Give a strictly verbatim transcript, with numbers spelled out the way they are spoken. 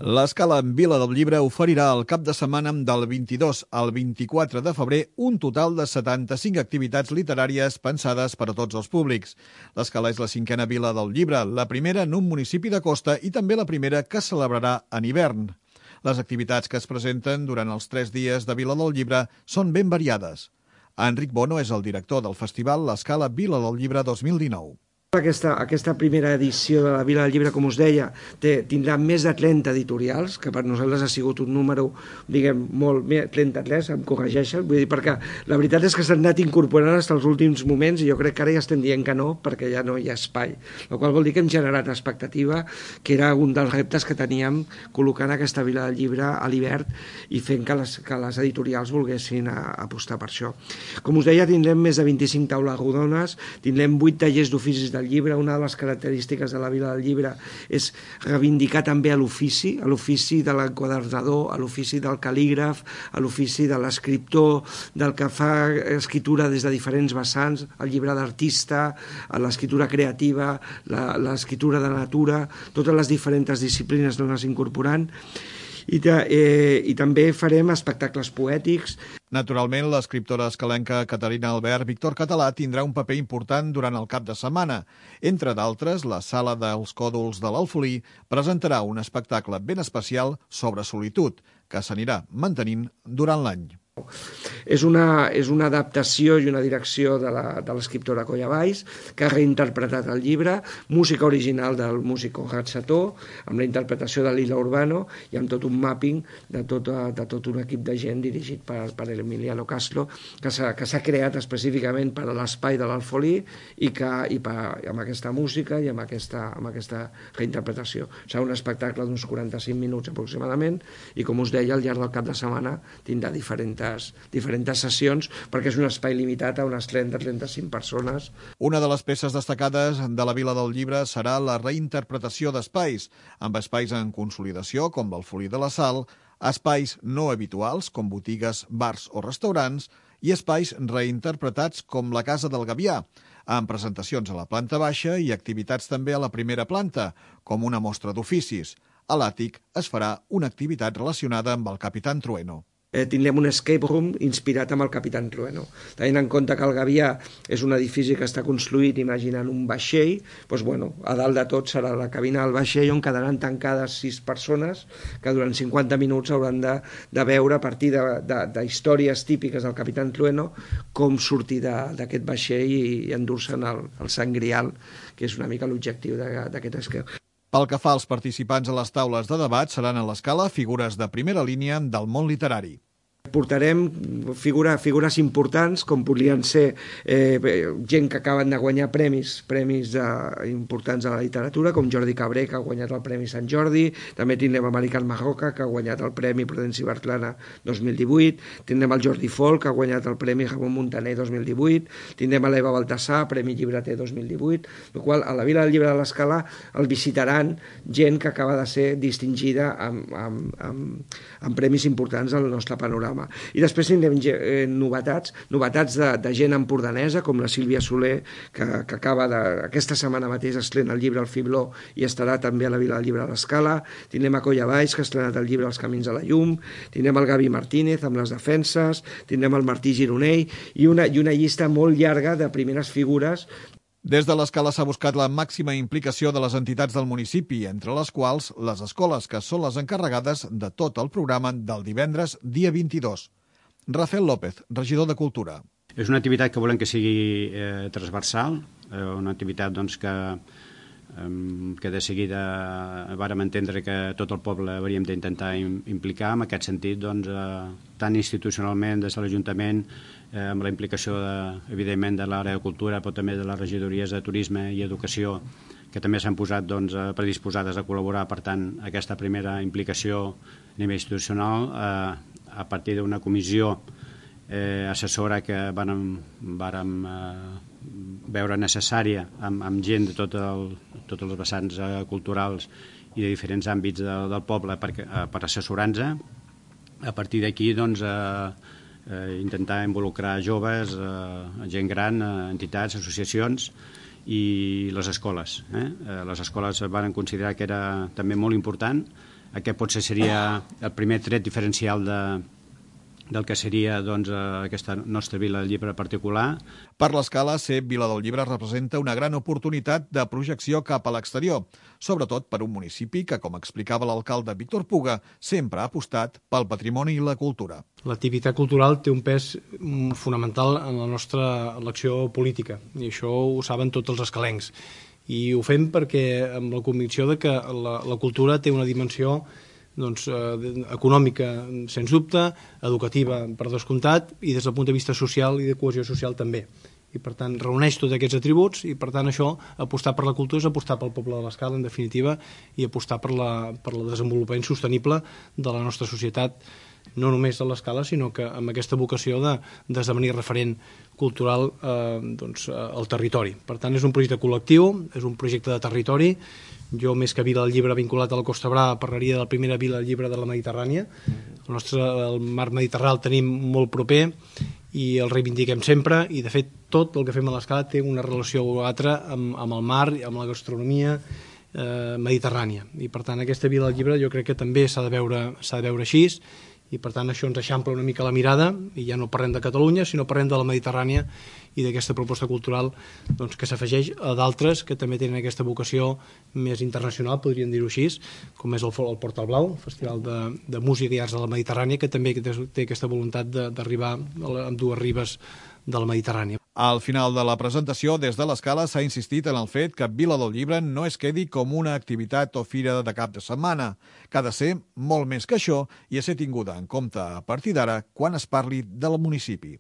L'Escala Vila del Llibre oferirà el cap de setmana del vint-i-dos al vint-i-quatre de febrer un total de setanta-cinc activitats literàries pensades per a tots els públics. L'Escala és la cinquena Vila del Llibre, la primera en un municipi de costa i també la primera que es celebrarà en hivern. Les activitats que es presenten durant els tres dies de Vila del Llibre són ben variades. Enric Bono és el director del festival L'Escala Vila del Llibre dos mil dinou. Aquesta, aquesta primera edició de la Vila del Llibre, com us deia, té, tindrà més de trenta editorials, que per nosaltres ha sigut un número, diguem, molt més, trenta-tres, em corregeixen, vull dir, perquè la veritat és que s'han anat incorporant fins als últims moments i jo crec que ara ja estem dient que no, perquè ja no hi ha espai. El qual vol dir que hem generat expectativa, que era un dels reptes que teníem col·locant aquesta Vila del Llibre a l'hivern i fent que les, que les editorials volguessin a, a apostar per això. Com us deia, tindrem més de vint-i-cinc taules rodones, tindrem vuit tallers d'oficis del llibre. Una de les característiques de la Vila del Llibre és reivindicar també a l'ofici, a l'ofici de l'enquadernador, a l'ofici del cal·lígraf, a l'ofici de l'escriptor, del que fa escriptura des de diferents vessants, el llibre d'artista, l'escriptura creativa, l'escriptura de natura, totes les diferents disciplines dones incorporant. I, de, eh, i també farem espectacles poètics. Naturalment, l'escriptora escalenca Caterina Albert Víctor Català tindrà un paper important durant el cap de setmana. Entre d'altres, la Sala dels Còdols de l'Alfolí presentarà un espectacle ben especial sobre solitud, que s'anirà mantenint durant l'any. És una, és una adaptació i una direcció de l'escriptora Colla Valls, que ha reinterpretat el llibre, música original del músic Conrad Sató, amb la interpretació de Lila Urbano i amb tot un mapping de tot, de tot un equip de gent dirigit per, per Emiliano Castro, que s'ha creat específicament per a l'espai de l'Alfolí i, que, i per, amb aquesta música i amb aquesta, amb aquesta reinterpretació. Serà un espectacle d'uns quaranta-cinc minuts aproximadament i, com us deia, al llarg del cap de setmana tindrà diferents diferents sessions, perquè és un espai limitat a unes trenta a trenta-cinc persones. Una de les peces destacades de la Vila del Llibre serà la reinterpretació d'espais, amb espais en consolidació, com l'Alfolí de la Sal, espais no habituals, com botigues, bars o restaurants, i espais reinterpretats com la Casa del Gavià, amb presentacions a la planta baixa i activitats també a la primera planta, com una mostra d'oficis. A l'àtic es farà una activitat relacionada amb el Capitán Trueno. Eh, tindrem un escape room inspirat amb el Capitán Trueno. Tenint en compte que el Gavià és un edifici que està construït imaginant un vaixell, doncs, bueno, a dalt de tot serà la cabina del vaixell on quedaran tancades sis persones que durant cinquanta minuts hauran de, de veure a partir de, de, de històries típiques del Capitán Trueno com sortir d'aquest vaixell i, i endur-se'n el, el Sant Grial, que és una mica l'objectiu d'aquest escape. Pel que fa als participants a les taules de debat, seran a l'Escala figures de primera línia del món literari. Portarem figura, figures importants, com podrien ser eh, gent que acaben de guanyar premis, premis de, importants a la literatura, com Jordi Cabré, que ha guanyat el Premi Sant Jordi. També tindrem American Marroca, que ha guanyat el Premi Prudenci Bertrana dos mil divuit. Tindrem el Jordi Folk, que ha guanyat el Premi Ramon Muntaner dos mil divuit. Tindrem l'Eva Baltasar, Premi Llibreter dos mil divuit. El qual, a la Vila del Llibre de l'Escala el visitaran gent que acaba de ser distingida amb, amb, amb, amb premis importants al nostre panorama. I després tindrem eh, novetats, novetats de, de gent empordanesa, com la Sílvia Soler, que, que acaba de, aquesta setmana mateix estrena el llibre El Fibló i estarà també a la Vila del Llibre de l'Escala. Tindrem a Colla Valls, que ha estrenat el llibre Els Camins de la Llum. Tindrem el Gavi Martínez amb Les Defenses. Tindrem el Martí Gironell i una, i una llista molt llarga de primeres figures. Des de l'Escala s'ha buscat la màxima implicació de les entitats del municipi, entre les quals les escoles, que són les encarregades de tot el programa del divendres, dia vint-i-dos. Rafael López, regidor de Cultura. És una activitat que volem que sigui eh, transversal, eh, una activitat doncs, que, eh, que de seguida vàrem entendre que tot el poble hauríem d'intentar implicar. En aquest sentit, doncs, eh, tant institucionalment des de l'Ajuntament, eh, amb la implicació, de, evidentment, de l'àrea de cultura, però també de les regidories de turisme i educació, que també s'han posat doncs, predisposades a col·laborar. Per tant, aquesta primera implicació a nivell institucional, eh, a partir d'una comissió eh, assessora que vàrem, vàrem eh, veure necessària amb, amb gent de tot el, tots els vessants eh, culturals i de diferents àmbits de, del poble per, eh, per assessorar-nos. A partir d'aquí, doncs, eh, eh, intentar involucrar joves, eh, gent gran, eh, entitats, associacions i les escoles. Eh? Les escoles van considerar que era també molt important aquest potser seria el primer tret diferencial de, del que seria doncs, aquesta nostra Vila del Llibre particular. Per l'Escala, ser Vila del Llibre representa una gran oportunitat de projecció cap a l'exterior, sobretot per un municipi que, com explicava l'alcalde Víctor Puga, sempre ha apostat pel patrimoni i la cultura. L'activitat cultural té un pes fonamental en la nostra elecció política, i això ho saben tots els escalencs. I ho fem perquè amb la convicció de que la, la cultura té una dimensió doncs, eh, econòmica, sens dubte, educativa, per descomptat, i des del punt de vista social i de cohesió social també. I, per tant, reuneix tots aquests atributs i, per tant, això, apostar per la cultura és apostar pel poble de l'Escala, en definitiva, i apostar per, la, per el desenvolupament sostenible de la nostra societat, no només de l'Escala, sinó que amb aquesta vocació de d'esdevenir referent cultural eh, doncs, al territori. Per tant, és un projecte col·lectiu, és un projecte de territori. Jo, més que Vila del Llibre vinculat a la Costa Brava, parlaria de la primera Vila del Llibre de la Mediterrània. El nostre el mar Mediterrani el tenim molt proper i el reivindiquem sempre, i de fet tot el que fem a l'Escala té una relació o altra amb, amb el mar, amb la gastronomia eh, mediterrània. I per tant aquesta Vila del Llibre jo crec que també s'ha de veure, s'ha de veure així, i per tant això ens eixampla una mica la mirada, i ja no parlem de Catalunya, sinó parlem de la Mediterrània i d'aquesta proposta cultural doncs, que s'afegeix a d'altres que també tenen aquesta vocació més internacional, podríem dir-ho així, com és el, el Portal Blau, el Festival de, de Música i Arts de la Mediterrània, que també té aquesta voluntat d'arribar amb dues ribes de la Mediterrània. Al final de la presentació, des de l'Escala s'ha insistit en el fet que Vila del Llibre no es quedi com una activitat o fira de cap de setmana, que ha de ser molt més que això i a ser tinguda en compte a partir d'ara quan es parli del municipi.